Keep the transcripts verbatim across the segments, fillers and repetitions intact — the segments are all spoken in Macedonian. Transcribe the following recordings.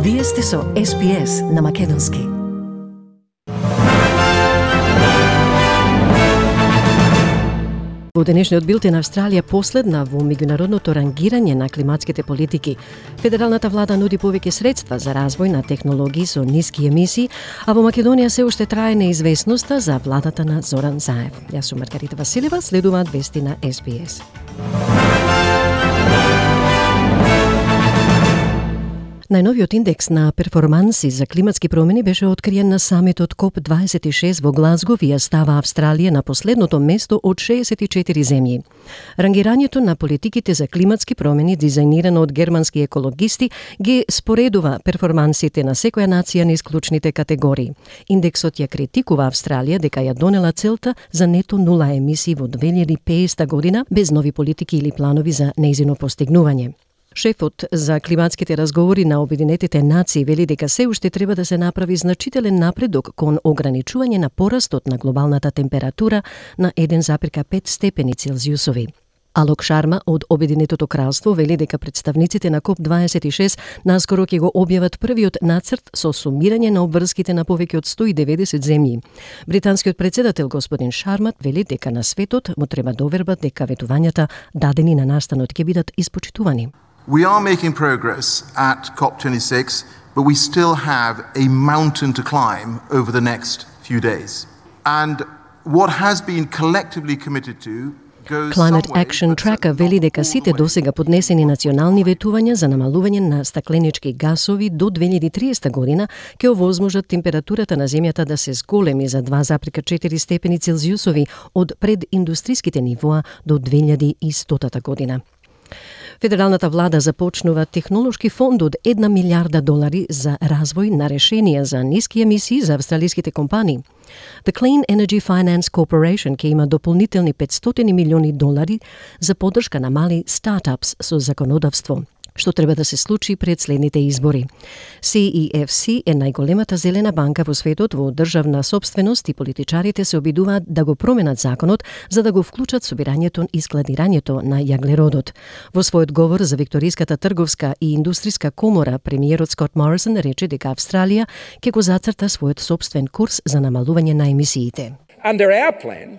Вие сте со Ес Би Ес на Македонски. Во денешниот билтен Австралија последна во меѓународното рангирање на климатските политики. Федералната влада нуди повеќе средства за развој на технологии со ниски емисии, а во Македонија се уште трае неизвестноста за владата на Зоран Заев. Јас сум Маргарита Василева, следуваат вести на Ес Би Ес. Најновиот индекс на перформанси за климатски промени беше откриен на самитот Коп дваесет и шест во Глазгов и ја става Австралија на последното место од шеесет и четири земји. Рангирањето на политиките за климатски промени, дизајнирано од германски екологисти, ги споредува перформансите на секоја нација низ клучните категории. Индексот ја критикува Австралија дека ја донела целта за нето нула емисии во две илјади и педесета година без нови политики или планови за нејзино постигнување. Шефот за климатските разговори на Обединетите нации вели дека се уште треба да се направи значителен напредок кон ограничување на порастот на глобалната температура на еден запирка пет степени Целзиусови. Алок Шарма од Обединетото кралство вели дека представниците на Коп дваесет и шест наскоро ќе го објават првиот нацрт со сумирање на обврските на повеќе од сто и деветдесет земји. Британскиот председател господин Шарма вели дека на светот му треба доверба дека ветувањата дадени на настанот ќе бидат испочитувани. We are making progress at COP twenty-six, but we still have a mountain to climb over the next few days. And what has been collectively committed to goes Climate Action Tracker вели дека сите досега поднесени национални ветувања за намалување на стакленички гасови до две илјади и триесета година ќе овозможат температурата на земјата да се зголеми за два запирка четири степени Целзиусови од прединдустриските нивоа до две илјади и стотата година. Федералната влада започнува технолошки фонд од една милиарда долари за развој на решенија за ниски емисии за австралиските компании. The Clean Energy Finance Corporation ќе има дополнителни петстотини милиони долари за поддршка на мали стартапс со законодавство, што треба да се случи пред следните избори. Си И Еф Си е најголемата зелена банка во светот во државна сопственост и политичарите се обидуваат да го променат законот за да го вклучат собирањето и складирањето на јаглеродот. Во својот говор за Викториската трговска и индустријска комора, премиерот Скот Морисон рече дека Австралија ќе го зацрта својот сопствен курс за намалување на емисиите. Under our plan,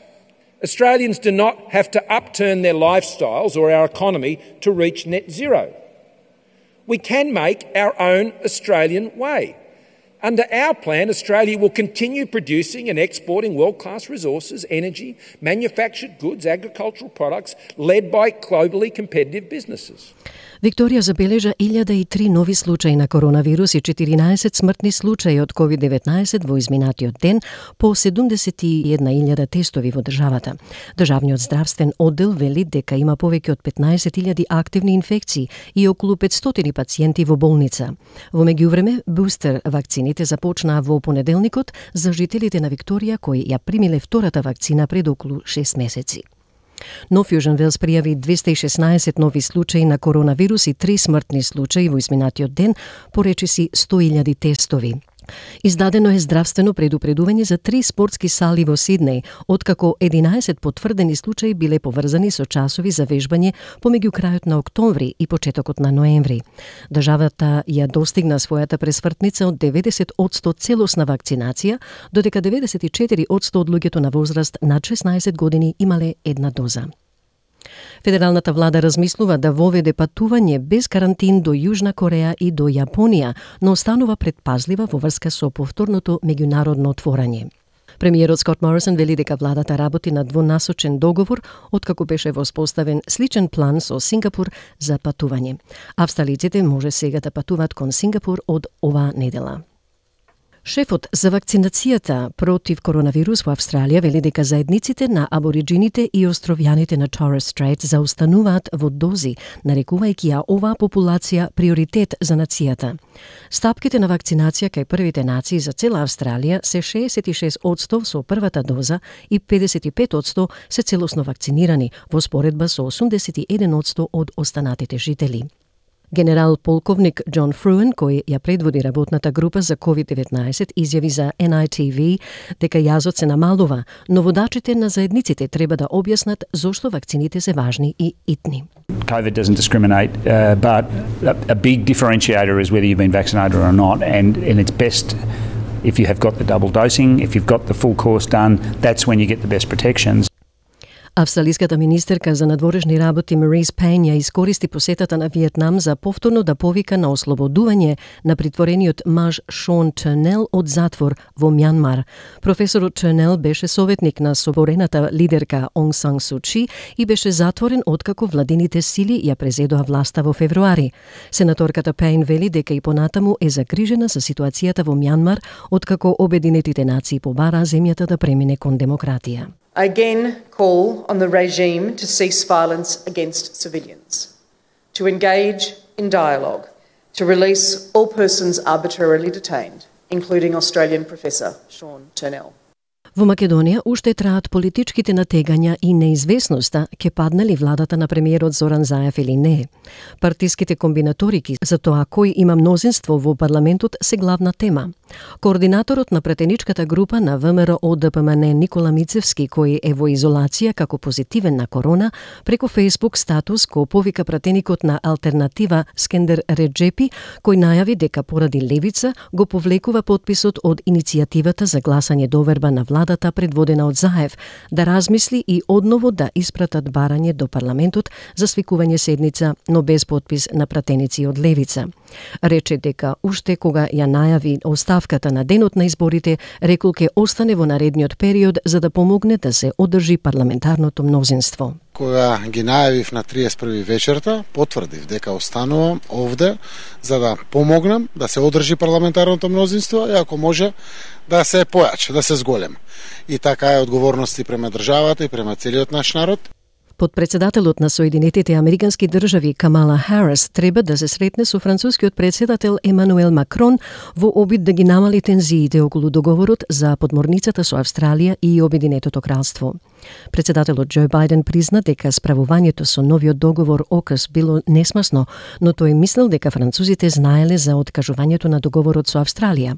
Australians do not have to upturn their lifestyles or our economy to reach net zero. We can make our own Australian way. Under our plan, Australia will continue producing and exporting world-class resources, energy, manufactured goods, agricultural products, led by globally competitive businesses. Викторија забележа илјада и три нови случаи на коронавирус и четиринаесет смртни случаи од ковид деветнаесет во изминатиот ден по седумдесет и една илјада тестови во државата. Државниот здравствен оддел вели дека има повеќе од петнаесет илјади активни инфекции и околу петстотини пациенти во болница. Во меѓувреме, бустер вакцините започнаа во понеделникот за жителите на Викторија кои ја примиле втората вакцина пред околу шест месеци. Нов Јужен Велс пријави двеста и шеснаесет нови случаи на коронавирус и три смртни случаи во изминатиот ден, поречиси сто илјади тестови. Издадено е здравствено предупредување за три спортски сали во Сиднеј, откако единаесет потврдени случаи биле поврзани со часови за вежбање помеѓу крајот на октомври и почетокот на ноември. Државата ја достигна својата пресвртница од деветдесет одсто целосна вакцинација, додека деветдесет и четири одсто од луѓето на возраст над шеснаесет години имале една доза. Федералната влада размислува да воведе патување без карантин до Јужна Кореја и до Јапонија, но останува предпазлива во врска со повторното меѓународно отворање. Премиерот Скот Морисон вели дека владата работи на двонасочен договор откако беше воспоставен сличен план со Сингапур за патување. Австралиците може сега да патуваат кон Сингапур од оваа недела. Шефот за вакцинацијата против коронавирус во Австралија вели дека заедниците на абориджините и островјаните на Торес Стрейт заустануваат во дози, нарекувајќи ја оваа популација приоритет за нацијата. Стапките на вакцинација кај првите нации за цела Австралија се шеесет и шест одсто со првата доза и педесет и пет одсто се целосно вакцинирани, во споредба со осумдесет и еден одсто од останатите жители. Генерал полковник Џон Фруен, кој ја предводи работната група за ковид деветнаесет, изјави за Ен Ај Ти Ви дека јазот се намалува, но водачите на заедниците треба да објаснат зошто вакцините се важни и итни. COVID doesn't discriminate, uh, but a, a big differentiator is whether you've been vaccinated or not, and, and it's best if you have got the double dosing, if you've got the full course done, that's when you get the best protections. Австралиската министерка за надворешни работи Марис Пейн ја искористи посетата на Виетнам за повторно да повика на ослободување на притворениот маж Шон Търнел од затвор во Мјанмар. Професорот Търнел беше советник на соборената лидерка Онг Сан Су Чи и беше затворен откако владините сили ја презедоа власта во февруари. Сенаторката Пейн вели дека и понатаму е загрижена за ситуацијата во Мјанмар откако Обединетите нации побараа земјата да премине кон демократија. I again call on the regime to cease violence against civilians, to engage in dialogue, to release all persons arbitrarily detained, including Australian professor Sean Turnell. Во Македонија уште траат политичките натегања и неизвестноста ќе падне ли владата на премиерот Зоран Заев или не. Партиските комбинаторики за тоа кој има мнозинство во парламентот се главна тема. Координаторот на претеничката група на Вэ Ем Ер О Д П М Н Никола Мицевски, кој е во изолација како позитивен на корона, преку Facebook статус го повика пратеникот на Алтернатива Скендер Реджепи, кој најави дека поради левица го повлекува потписот од иницијативата за гласање доверба на владата предводена од Заев, да размисли и одново да испратат барање до парламентот за свикување седница, но без потпис на пратеници од левица. Рече дека уште кога ја најави оставката на денот на изборите, рекол ке остане во наредниот период за да помогне да се одржи парламентарното мнозинство. Кога ги најавив на триесет и први вечерта, потврдив дека останувам овде за да помогнам да се одржи парламентарното мнозинство и ако може да се појача, да се зголем. И така е одговорности према државата и према целиот наш народ. Подпредседателот на Соединетите Американски држави Камала Харис треба да се сретне со францускиот председател Емануел Макрон во обид да ги намали тензиите околу договорот за подморницата со Австралија и Обединетото кралство. Председателот Џо Бајден призна дека справувањето со новиот договор ОКС било несмасно, но тој мислел дека французите знаеле за откажувањето на договорот со Австралија.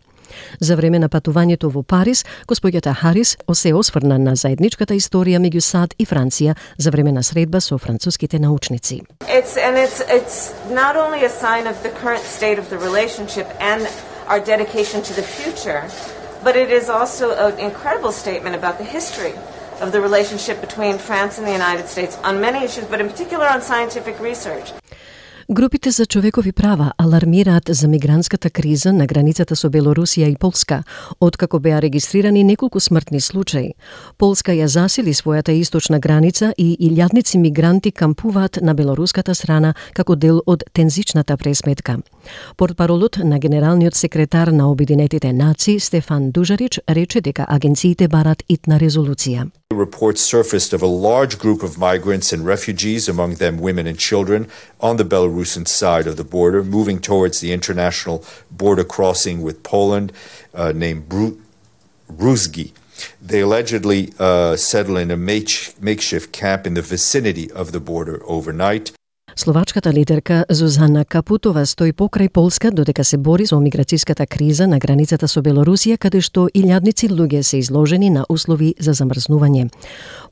За време на патувањето во Париз, господјата Харис се осврна на заедничката историја меѓу САД и Франција за време на средба со француските научници. It's and it's it's not only a sign of the current state of the relationship and our dedication to the future, but it is also an incredible statement about the history of the relationship between France and the United States on many issues, but in particular on scientific research. Групите за човекови права алармираат за мигрантската криза на границата со Белорусија и Полска, откако беа регистрирани неколку смртни случаи. Полска ја засили својата источна граница и илјадници мигранти кампуваат на белоруската страна како дел од тензичната пресметка. Портпаролот на генералниот секретар на Обединетите нации Стефан Дужарич рече дека агенциите барат итна резолуција. Reports surfaced of a large group of migrants and refugees, among them women and children, on the Belarusian side of the border, moving towards the international border crossing with Poland, uh, named Bru- Bruzgi. They allegedly uh, settle in a make- makeshift camp in the vicinity of the border overnight. Словачката лидерка Зузана Капутова стои покрај Полска додека се бори со миграцијската криза на границата со Белорусија, каде што илјадници луѓе се изложени на услови за замрзнување.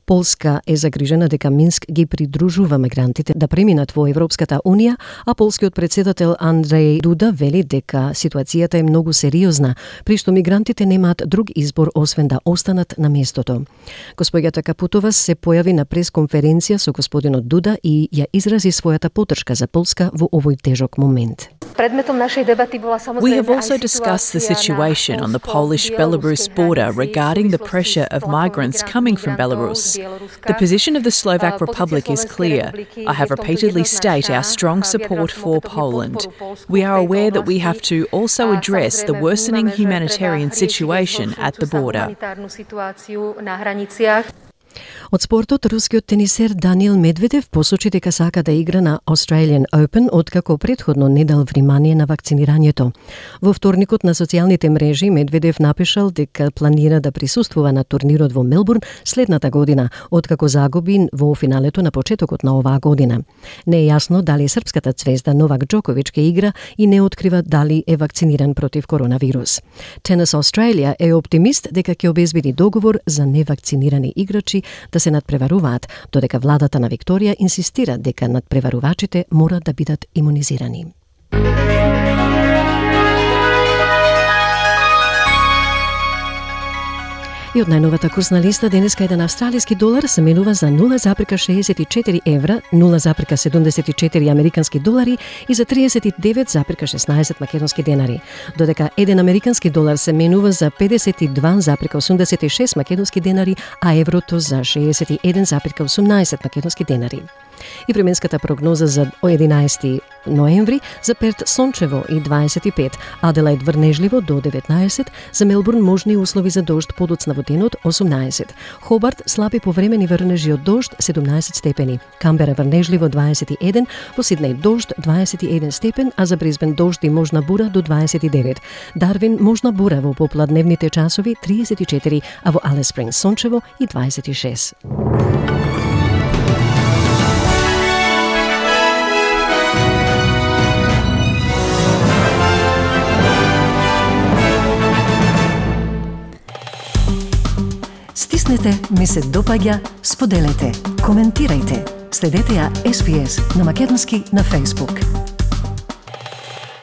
Полска е загрижена дека Минск ги придружува мигрантите да преминат во Европската Унија, а полскиот председател Андреј Дуда вели дека ситуацијата е многу сериозна, при што мигрантите немаат друг избор освен да останат на местото. Господјата Капутова се појави на пресконференција со господинот Дуда и ја изрази својата поддршка за Полска во овој тежок момент. We have also discussed the situation on the Polish-Belarus border regarding the pressure of migrants coming from Belarus. The position of the Slovak Republic is clear. I have repeatedly stated our strong support for Poland. We are aware that we have to also address the worsening humanitarian situation at the border. Од спортот, рускиот тенисер Даниел Медведев посочи дека сака да игра на Australian Open откако претходно не дал внимание на вакцинирањето. Во вторникот на социјалните мрежи Медведев напишал дека планира да присуствува на турнирот во Мелбурн следната година, откако загуби во финалето на почетокот на оваа година. Не е јасно дали српската цвезда Новак Џокович ке игра и не открива дали е вакциниран против коронавирус. Tennis Australia е оптимист дека ќе обезбеди договор за невакцинирани играчи да се надпреваруваат, додека владата на Викторија инсистира дека надпреварувачите мора да бидат имунизирани. И од најновата курсна листа денеска еден австралиски долар се менува за нула запирка шеесет и четири евра, нула запирка седумдесет и четири американски долари и за триесет и девет запирка шеснаесет македонски денари, додека еден американски долар се менува за педесет и два запирка осумдесет и шест македонски денари, а еврото за шеесет и еден запирка осумнаесет македонски денари. И временската прогноза за единаесети ноември: за Перт сончево и дваесет и пет, Аделаид врнежливо до деветнаесет, за Мелбурн можни услови за дожд подоцна во денот осумнаесет, Хобарт слаби повремени врнежи од дожд седумнаесет степени, Камбера врнежливо дваесет и еден, во Сиднеј дожд дваесет и еден степен, а за Брисбен дожд и можна бура до дваесет и девет, Дарвин можна бура во попладневните часови триесет и четири, а во Алис Спрингс сончево и дваесет и шест. Стиснете, ми се допаѓа, споделете, коментирајте. Следете ја Ес Би Ес на македонски на Facebook.